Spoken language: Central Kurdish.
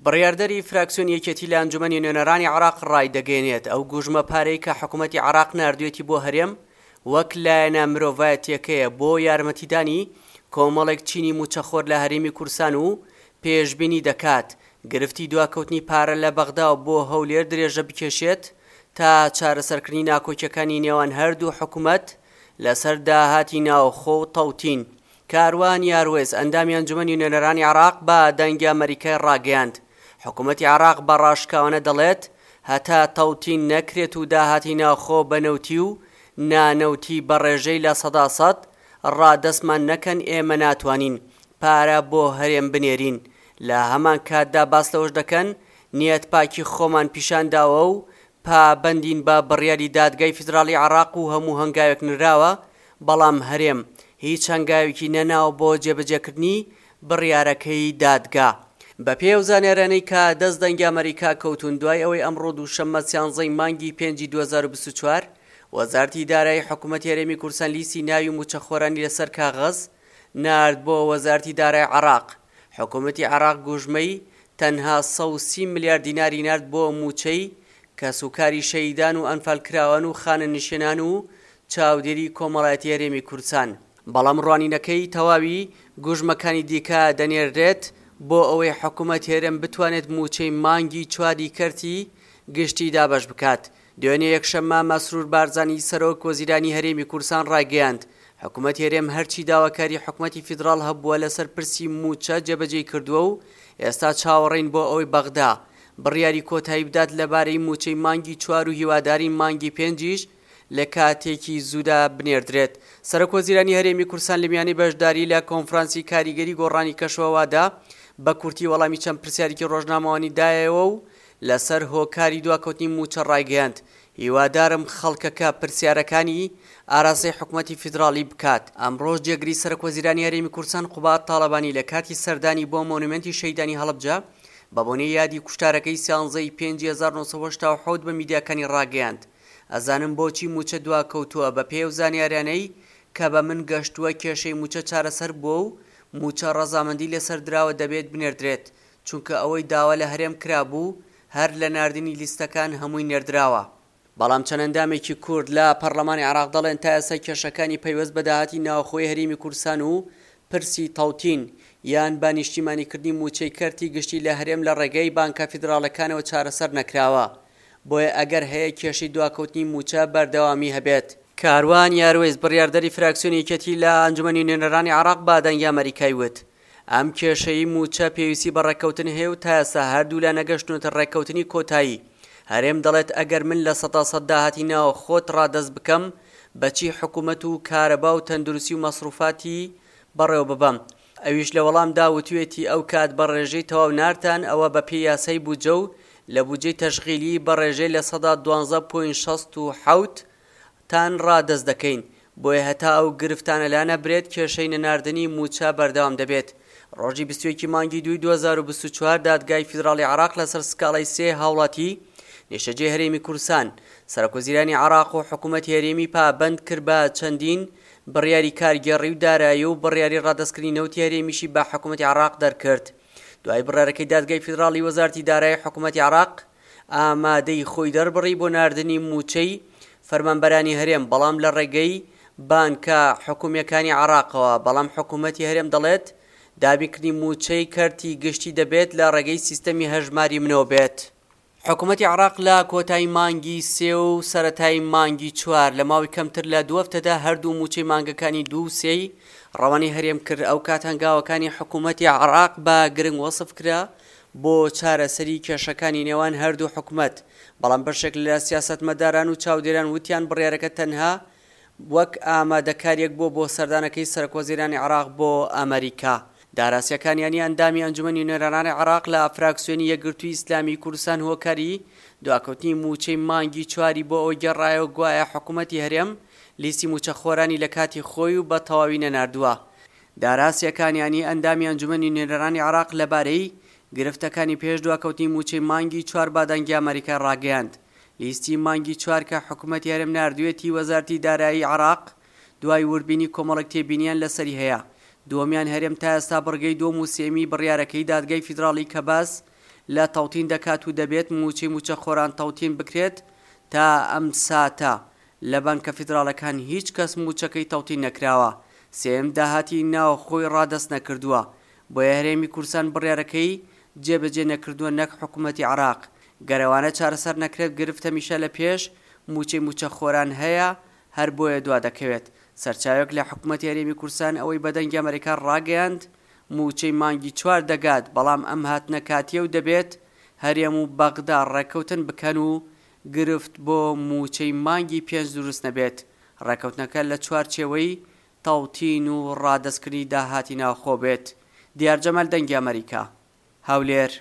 بڕیاردەری فراکسیۆنی یەکێتی لە ئەنجومەنی نوێنەرانی عێراق ڕایدەگەیەنێت، ئەو گوژمە پارەی کە حکومەتی عێراق ناردوویەتی بۆ هەرێم وەک لایەنە مرۆڤایەتییەکەیە بۆ یارمەتیدانی کۆمەڵێک چینی مووچەخۆر لە هەرێمی کوردستان و پێشبینی دەکات گرفتی دواکەوتنی پارە لە بەغداوە بۆ هەولێر درێژە بکێشێت تا چارەسەرکردنی ناکۆکییەکانی نێوان هەردوو حکومەت لەسەر داهاتی ناوخۆ و تەوتین. کاروان یاروەیس، ئەندامی ئەنجومەنی نوێنەرانی عێراق بە دەنگی ئەمەریکای ڕاگەیاند، حکومەتی عێراق بە ڕاشکاوانە دەڵێت هەتا تەوتین نەکرێت و داهاتی ناوخۆ بە نەوتی و نانەوتی بە ڕێژەی 100% ڕادەستمان نەکەن ئێمە ناتوانین پارە بۆ هەرێم بنێرین، لە هەمان کاتدا باس لەوەش دەکەن نیەت پاکی خۆمان پیشان داوە و پابەندین بە بڕیاری دادگای فیدراڵی عێراق و هەموو هەنگاوێک نراوە، بەڵام هەرێم هیچ هەنگاوێکی نەناوە بۆ جێبەجێکردنی بڕیارەکەی دادگا. بەپێی ئەو زانیاریانەی کە دەست دەنگی ئەمەریکا کەوتوون، دوای ئەوەی ئەمڕۆ دووشەممە سیانزەی مانگی پێنجی 2024 وەزارەتی دارایی حکومەتی هەرێمی کوردستان لیستی ناوی مووچەخۆرانی لەسەر کاغەز نارد بۆ وەزارەتی دارای عێراق، حکومەتی عێراق گوژمەی تەنها 130 ملیار دیناری نارد بۆ مووچەی کەسوکاری شەهیدان و ئەنفالکراوان و خانەنشینان و چاودێری کۆمەڵایەتی هەرێمی کوردستان، بەڵام ڕوانینەکەی تەواوی گوژمەکانی دیکە دەنێررێت بۆ ئەوەی حکومەت هەرێم بتوانێت مووچەی مانگی چواری کەرتی گشتی دابەش بکات. دوێنێ یەکشەممە مەسرور بارزانی سەرۆک وەزیرانی هەرێمی کوردستان ڕایگەیاند، حکومەتی هەرێم هەرچی داواکاری حکومەتی فیدراڵ هەبووە لەسەر پرسی مووچە جێبەجێی کردووە و ئێستا چاوەڕێین بۆ ئەوەی بەغدا بڕیاری کۆتایی بدات لەبارەی مووچەی مانگی چوار و هیوادارین مانگی پێنجیش لە کاتێکی زوودا بنێردرێت. سەرۆک وەزیرانی هەرێمی کوردستان لە میانەی بەشداری لە کۆنفرانسی کاریگەری گۆڕانی کەشوهەوادا بە کورتی وەڵامی چەند پرسیارێکی ڕۆژنامەوانی دایەوە و لەسەر هۆکاری دواکەوتنی مووچە ڕایگەیاند، هیوادارم خەڵکەکە پرسیارەکانی ئاراستەی حکومەتی فیدراڵی بکات. ئەمڕۆش جێگری سەرۆکوەزیرانی هەرێمی کوردستان قوباد تاڵەبانی لە کاتی سەردانی بۆ مۆنومێنتی شەهیدانی هەڵەبجە بە بۆنەی یادی کوشتارەکەی سیانزە ی پێنجی 1987 بە میدیاکانی ڕاگەیاند، ئەزانم بۆچی مووچە دواکەوتووە، بەپێی ئەو زانیاریانەی کە بە من گەشتووە کێشەی مووچە چارەسەر بووە و مووچە ڕەزامەندی لەسەر دراوە دەبێت بنێردرێت، چونکە ئەوەی داوا لە هەرێم کرابوو هەر لە ناردنی لیستەکان هەمووی نێردراوە. بەڵام چەند ئەندامێکی کورد لە پەڕلەمانی عێراق دەڵێن تا ئێستا کێشەکانی پەیوەست بە داهاتی ناوخۆی هەرێمی کوردستان و پرسی تەوتین یان بە نیشتیمانیکردنی مووچەی کەرتی گشتی لە هەرێم لە ڕێگەی بانکە فیدراڵەکانەوە چارەسەر نەکراوە بۆیە ئەگەر هەیە کێشەی دواکەوتنی مووچە بەردەوامی هەبێت. کاروان یاروەیس بڕیاردەری فراکسیۆنی یەکێتی لە ئەنجومەنی نوێنەرانی عێراق بە دەنگی ئەمەریکای وت ئەم کێشەی مووچە پێویستی بە ڕێککەوتن هەیە و تا ئێستا هەردوولا نەگەشتوونەتە ڕێککەوتنی کۆتایی. هەرێم دەڵێت ئەگەر من 100% داهاتی ناوخۆت ڕادەست بکەم بەچی حکومەت و کارەبا و تەندروستی و مەسروفاتی بەڕێوەببەم؟ ئەویش لە وەڵامدا وتوێتی ئەو کات بە ڕێژەی تەواو نارتان ئەوە بە پێی یاسای بودجە و لە بودجەی تەشغیلی بە ڕێژەی 12.67% تان ڕادەست دەکەین، بۆیە هەتا ئەو گرفتانە لانەبرێت کێشەی نەناردنی مووچە بەردەوام دەبێت. ڕۆژی 21 ی مانگی دووی 2024 دادگای فیدراڵی عێراق لەسەر سکاڵای سێ هاوڵاتی نیشتەجێی هەرێمی کوردستان، سەرۆکوەزیرانی عێراق و حکوومەتی هەرێمی پابەند کرد بە چەندین بڕیاری کارگێڕی و دارایی و بڕیاری ڕادەستکردنی نەوتی هەرێمیشی بە حکوومەتی عێراق دەرکرد. دوای بڕیارەکەی دادگای فیدراڵی وەزارەتی دارایی حکوومەتی عێراق ئامادەی خۆی دەربڕی بۆ ناردنی مووچەی فەرمانبەرانی هەرێم، بەڵام لە ڕێگەی بانکە حکومییەکانی عێراقەوە، بەڵام حکوومەتی هەرێم دەڵێت، دابینکردنی مووچەی کەرتی گشتی دەبێت لە ڕێگەی سیستەمی هەژماری منەوە بێت. حکوومەتی عێراق لە کۆتایی مانگی سێ و سەرەتای مانگی چوار لە ماوەی کەمتر لە دوو هەفتەدا هەردوو مووچەی مانگەکانی دوو و سێی ڕەوانەی هەرێم کرد، ئەوکات هەنگاوەکانی حکوومەتی عێراق بە گرنگ وەسف کرا بۆ چارەسەری کێشەکانی نێوان هەردوو حکومەت، بەڵام بەشێک لە سیاسەتمەداران و چاودێران وتیان بڕیارەکە تەنها وەک ئامادەکاریەک بووە بۆ سەردانەکەی سەرۆکوەزیرانی عێراق بۆ ئەمەریکا. دارا سیاکانیانی ئەندامی ئەنجومەنی نوێنەرانی عێراق لە فراکسیۆنی یەکگرتووی ئیسلامیی کوردستان هۆکاری دواکەوتنی مووچەی مانگی چواری بۆ ئەوە گێڕایەوە گوایە حکومەتی هەرێم لیستی مووچەخۆرانی لە کاتی خۆی و بە تەواوی نەناردووە. دارا سیاکانیانی ئەندامی ئەنجومەنی نوێنەرانی عێراق لەبارەی گرفتەکانی پێش دواکەوتنی مووچەی مانگی چوار بە دەنگی ئەمەریکای ڕاگەیاند، لیستی مانگی چوار کە حکومەتی هەرێم ناردوویەتی وەزارەتی دارایی عێراق دوای وردبینی کۆمەڵێک تێبینیان لەسەری هەیە، دووەمیان هەرێم تا ئێستا بڕگەی دووەم و سێیەمی بڕیارەکەی دادگای فیدراڵی کە باس لە تەوتین دەکات و دەبێت مووچەی مووچەخۆران تەوتین بکرێت، تا ئەم ساتە لە بانکە فیدراڵەکان هیچ کەس مووچەکەی تەوتین نەکراوە، سێیەم داهاتی ناوخۆی ڕادەست نەکردووە، بۆیە هەرێمی کوردستان بڕیارەکەی جێبەجێ نەکردووە نەک حکومەتی عێراق، گەر ئەوانە چارەسەر نەکرێت گرفت هەمیشە لە پێش مووچەی مووچەخۆران هەیە هەر بۆیە دوا دەکەوێت. سەرچاوێک لە حکومەتی هەرێمی کوردستان ئەوەی بە دەنگی ئەمەریکا ڕاگەیاند مووچەی مانگی چوار دەگات، بەڵام ئەم هاتنە کاتییە و دەبێت هەرێم و بەغدا ڕێککەوتن بکەن و گرفت بۆ مووچەی مانگی پێنج دروست نەبێت، ڕێککەوتنەکە لە چوارچێوەی تەوتین و ڕادەستکردنی داهاتی ناوخۆ بێت. دیار جەمال دەنگی ئەمەریکا، هەولێر.